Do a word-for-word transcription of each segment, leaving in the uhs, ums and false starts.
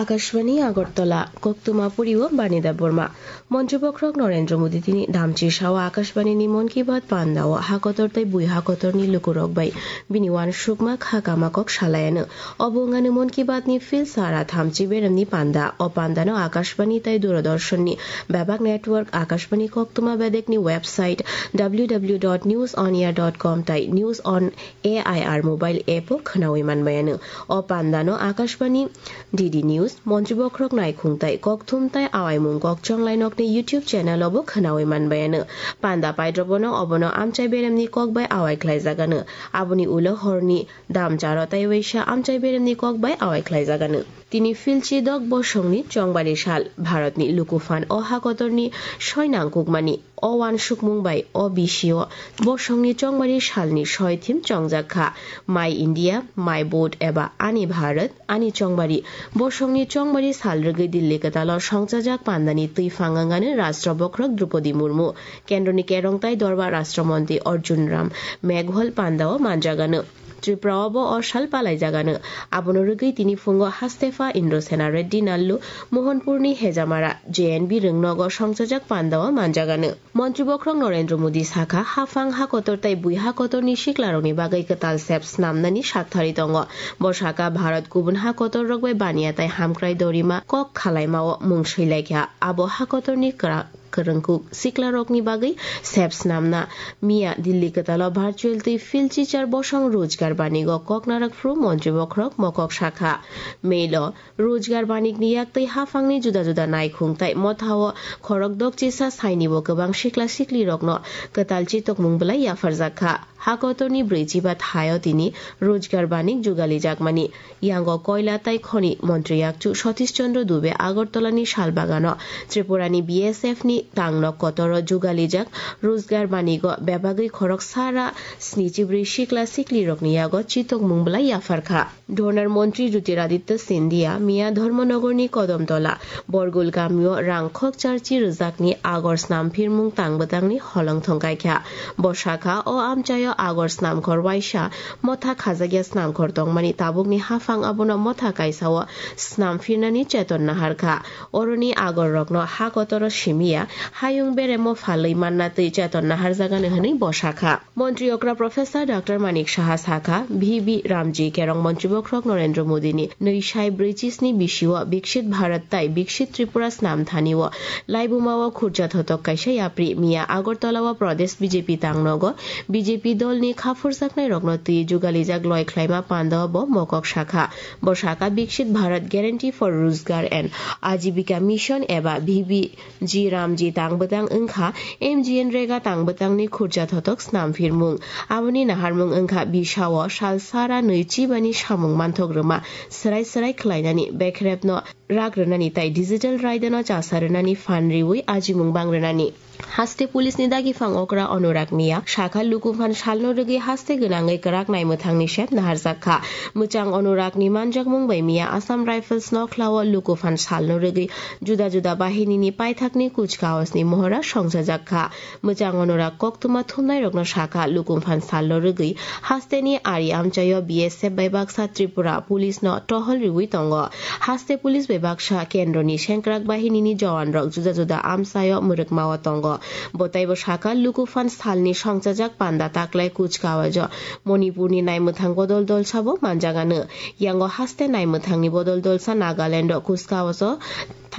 Akashbani Agartala, koktwma puri o Bani Debbarma. Montri bokhorok Narendra Modi tini damchi sao Akashbani ni Mann Ki Baat panda o hakotor tei bui hakotor ni lukurok bai bini uansukma kha kama kok salai ano. Obo wngano Mann Ki Baat ni phil sara thamchi berem ni panda. O panda no Akashbani tei Doordarshan ni bebak network Akashbani koktwma bedek ni website w w w dot news on air dot com tei News on A I R mobile app o khwnawi manbai ano. O panda no Akashbani, D D News, Montri bokhorok naikhung tei kokthum tei awaimung kok chonglai nok ni YouTube channel o bo khwnawi manbai ano. Panda paidrobo no obono amchai berem ni kok bai awai khlai jak ano. Aboni ulo hor ni damcharo tei waisa amchai berem ni kok bai awai khlai jak ano. Tini philchi dok bosong ni chongbari sal, Bharat ni lukufan o hakotor ni soi nangkukmani. O uansukmung bai o bisio bosongni chongmari salni soi thim chongjak kha, My India, My Vote eba Ani Bharat, Ani Chongbari. Bosongni chongmari sal rwgwi Delhi kwtalo songchajak pandani twi phang wngano Rashtra Bokhorok Droupadi Murmu, Kendroni Kerongtai Dorbar Rashtra Montri Arjun Ram Meghwal pandao manjagano. Tripura o bo o sal palaijagano. Abono rwgwi tini phungo Hastefa Indrasena Reddy Nallu, Mohanpurni Hejamara J N B rwngnogo songchajak pandao manjagano. Montri bokhorok Narendra Modi sakha, haphang hakotor tei bui hakotorni siklarokni bagwi kwtal sep snamnani sakthari tongo. Bo sakha, Bharat kubun hakotorrok bai baniya tei hamkrai dorima kok khalaimao mung swilaikha. Abo hakotorni kwrak kwrwngkuk siklarokni bagwi sep snamna. Miya Delhi kwtalo virtual tei philchi char bosong Rojgar Banigo kok narwk phru Montri bokhorok mokok sakha. Mailo Rojgar Banikni yak tei haphangni juda juda naikhung tei mothao khorok dokchisa sainibo kwbang sikla siklirokno kwtal chitokmung bwlai yapharjak kha. Hakotorni brwichiba thaio tini Rojgar Banik jugali jakmani. Yango koila tei khoni montri yakchu Satish Chandra Dubey Agartalani salbagano Tripurani B S F ni tangno kotoro jugalijak Rojgar Banigo bebagwi khorok sara snichibrwi sikla siklirokni yago chitokmung bwlai yapharkha. Dhonar montri Jyotiraditya Scindia miya Dharmanagorni Kodamtola Borgul gamio rang khok charchi rwjakni agor snamphirmung tangbwtangni holong thongkaikha. Bo sakha, o amchaio agor snamkhor waisa motha khajakya snamkhor tongmani tabukni haphang abono motha kaisao snamphirnani cheton naharkha. Oroni agorrokno ha kotoro simiya hayung beremo phalwi manna twi cheton naharjagani hwnwi bo sakha. Montri okra Professor Doctor Manik Saha sakha, V V Ramji Kerong Montri bokhorok Narendra Modini nwi sai brwi chisni bisio Viksit Bharat tai Viksit Tripura snam thani o laibuma o khurja thotok kaisa yapri miya Agartala o Pradesh B J P tangnogo B J P dolni khaphurjaknairokno twi jugalijak loi khlaima panda o bo mokok sakha. Bo sakha, Viksit Bharat Guarantee for Rojgar and Ajibika Mission eba V V G Ramji tangbwtang wngkha M G N Rega tangbwtangni khurja thotok snamphirmung. Aboni naharmung wngkha bisao sal sara nwi chibani samung manthok rwma, swrai swrai khlainani, bekrepno rak rwnani tai digital raidano chasa rwnani phan riwi ajimung bang rwnani. Haste police ni dagi phang okra Anurag Miya sakha, lukuphan salno rwgwi haste gwnangwi kwrak naimwthangni sep naharjak kha. Mwchang Anurag ni manjakmung bai miya Assam Rifles nokhlao lukuphan salno rwgwi juda juda bahini ni paithak ni kuch kaos ni mohora songchajak kha. Mwchang Anurag koktwma thumnai rokno sakha, lukuphan salno rwgwi haste ni ari amchaio B S F bai baksa Tripura police no tohol riwi tongo. Haste police bai baksa kendro ni sengkrak bahini ni jowan rok juda juda amchaio mwrwkma o tongo. Bo taibo sakha, lukuphan salni songchajak panda taklai kuch kawajo Manipurni naimwthang bodol dolsabo manjagano. Yango haste naimwthangni bodol dolsa Nagalando kuch kawajo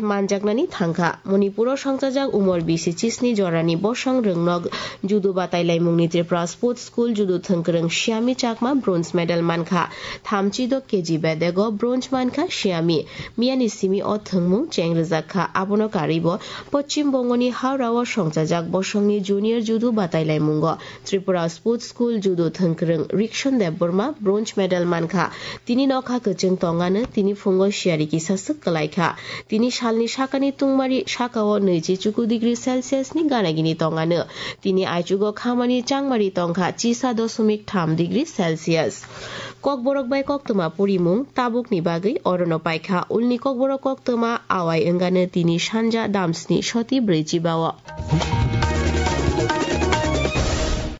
manjaknani thangkha. Manipuro songchajak umor bisi chisni jorani bosong rwngnog judo batailaimungni Tripura Sports School judo thwngkwrwng Siyami Chakma bronze medal mankha. Thamchi do K G bedego bronze mankha Siyami. Miyani simi o thwngmung cheng rwjak kha. Abono karwibo Poschim Bongoni Howrah o songchajak bosongni junior judo batailaimungo Tripura Sports School judo thwngkwrwng Rikson Debbarma bronze medal mankha. Tini nokha kwchwng tongano, tini phungo siyari kisa swk kwlaikha. Tini salni sakani tungmari sakao nwichi chuku degree Celsius ni ganagini tongano. Tini aichugo khamani changmari tongkha chisa dosomik tham degree Celsius. Kokborok bai koktwma purimung tabukni bagwi orono paikha. Ulni kokborok koktwma awai wngano tini sanja damsni soti brwi chibao.